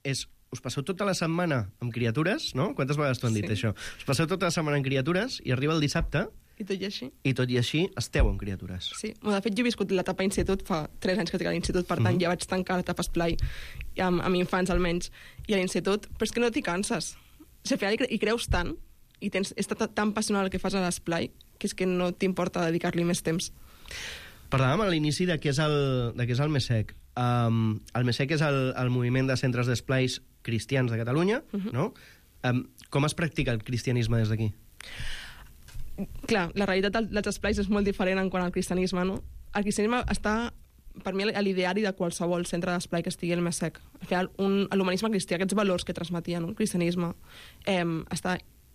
és, us passeu tota la setmana amb criatures, no? Quantes vegades t'ho han dit, això? Us passeu tota la setmana amb criatures i arriba el dissabte i tot i així. I tot i així esteu amb criatures. Sí, de fet jo he viscut l'etapa institut fa 3 anys que estic a l'institut, per tant ja vaig tancar l'etapa esplai amb infants almenys, i a l'institut, però és que no t'hi canses. Al final hi creus tant i és tan passional el que fas a l'esplai que és que no t'importa dedicar-li més temps. Parlàvem a l'inici de què és el MESEC. El MESEC és el moviment de centres d'esplais cristians de Catalunya, no? Com es practica el cristianisme des d'aquí? Clar, la realitat dels esplais és molt diferent en quant al cristianisme, no? El cristianisme està, per mi, a l'ideari de qualsevol centre d'esplai que estigui al MESEC. Al final, l'humanisme cristià, aquests valors que transmetia, no? El cristianisme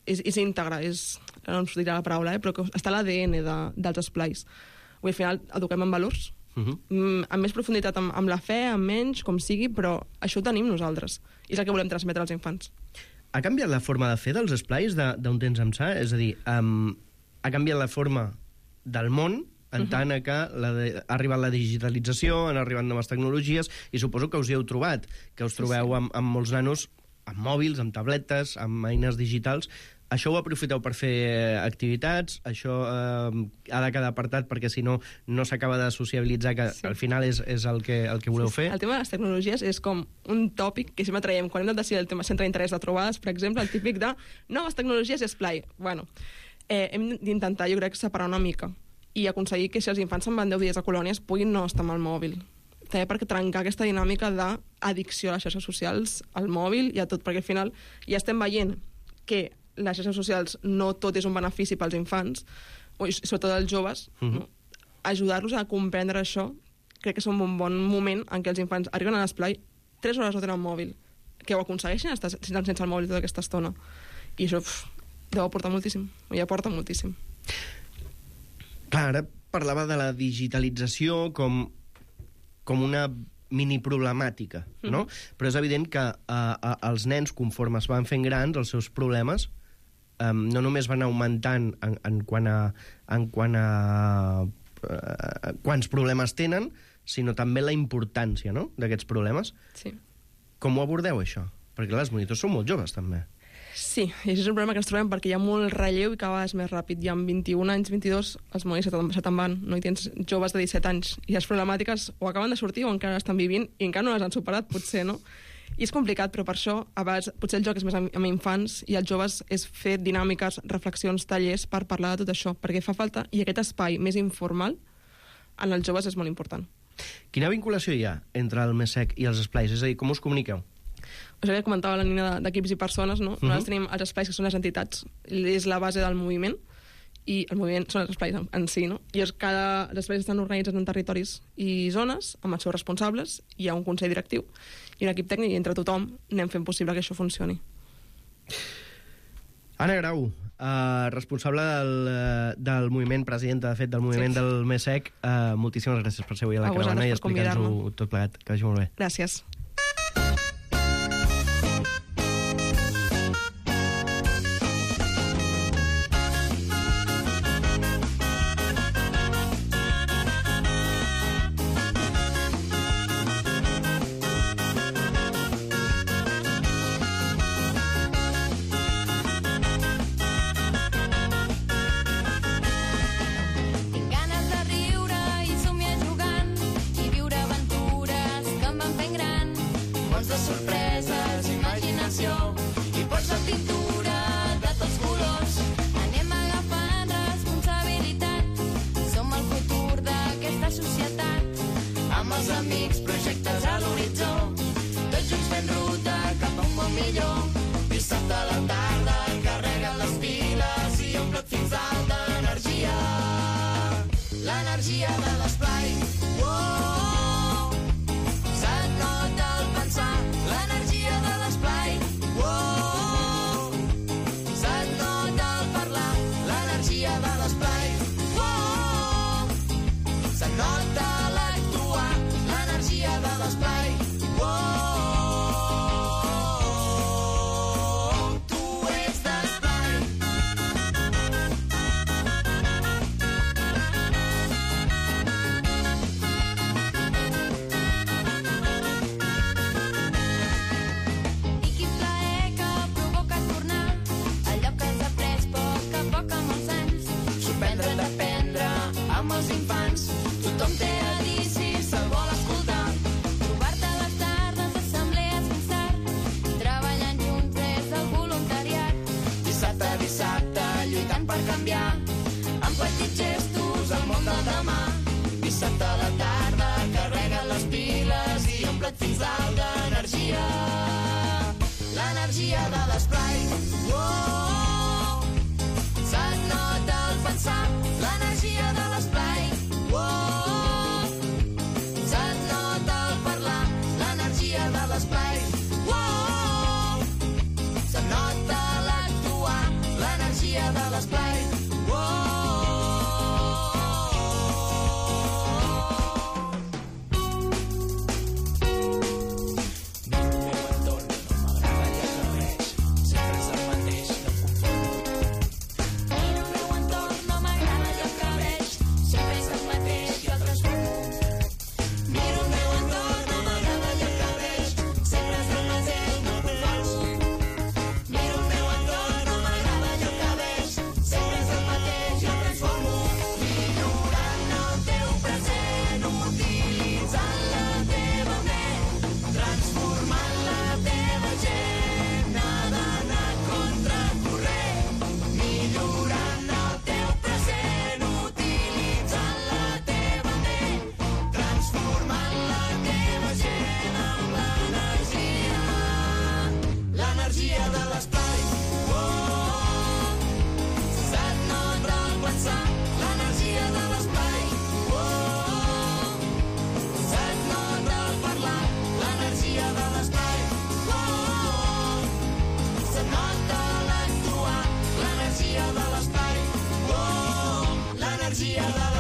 és íntegre, no em sortirà la paraula, però que està a l'ADN dels esplais. Al final eduquem en valors, amb més profunditat amb la fe, amb menys, com sigui, però això ho tenim nosaltres, i és el que volem transmetre als infants. Ha canviat la forma de fer dels esplais d'un temps ençà? És a dir, ha canviat la forma del món en tant que ha arribat la digitalització, han arribat noves tecnologies, i suposo que us hi heu trobat, que us trobeu amb molts nanos amb mòbils, amb tabletes, amb eines digitals. Això ho aprofiteu per fer activitats, això ha de quedar apartat perquè si no, no s'acaba de sociabilitzar, que al final és el que voleu fer. El tema de les tecnologies és com un tòpic que sempre traiem quan hem de decidir el tema centre d'interès de trobades, per exemple, el típic de noves tecnologies i esplai. Bueno, hem d'intentar, jo crec, separar una mica i aconseguir que si els infants se'n van 10 dies a colònies puguin no estar amb el mòbil. També perquè trencar aquesta dinàmica d'addicció a les xarxes socials, al mòbil i a tot, perquè al final ja estem veient que les xarxes socials no tot és un benefici pels infants, i sobretot els joves, no? Ajudar-los a comprendre això, crec que és un bon moment en què els infants arriben a l'esplai 3 hores no tenen mòbil, que ho aconsegueixen estar sense el mòbil tota aquesta estona. I això deu aportar moltíssim, i aporta moltíssim. Clar, ara parlava de la digitalització com una mini-problemàtica, no? Però és evident que els nens, conforme es van fent grans, els seus problemes no només van augmentant en quant a quants problemes tenen, sinó també la importància, no?, d'aquests problemes. Sí. Com ho abordeu, això? Perquè clar, els monitors són molt joves, també. Sí, i això és un problema que ens trobem perquè hi ha molt relleu i cada vegada és més ràpid. I amb 21 anys, 22, els monitors se te'n van, no? I tens joves de 17 anys. I les problemàtiques o acaben de sortir o encara estan vivint i encara no les han superat, potser, no? I és complicat, però per això, a vegades, potser el joc és més amb infants i els joves és fer dinàmiques, reflexions, tallers per parlar de tot això, perquè fa falta, i aquest espai més informal en els joves és molt important. Quina vinculació hi ha entre el MESEC i els esplais? És a dir, com us comuniqueu? O sigui, comentava la Nina d'equips i persones, no? Nosaltres tenim els esplais que són les entitats, és la base del moviment, i el moviment són els esplais en si, no? I els esplais estan organitzats en territoris i zones, amb els seus responsables, hi ha un consell directiu i un equip tècnic, i entre tothom anem fent possible que això funcioni. Anna Grau, responsable del moviment, presidenta, de fet, del moviment del MESEC, moltíssimes gràcies per ser avui a la caravana i explicar-nos-ho tot plegat. Que vagi molt bé. Gràcies. magia de la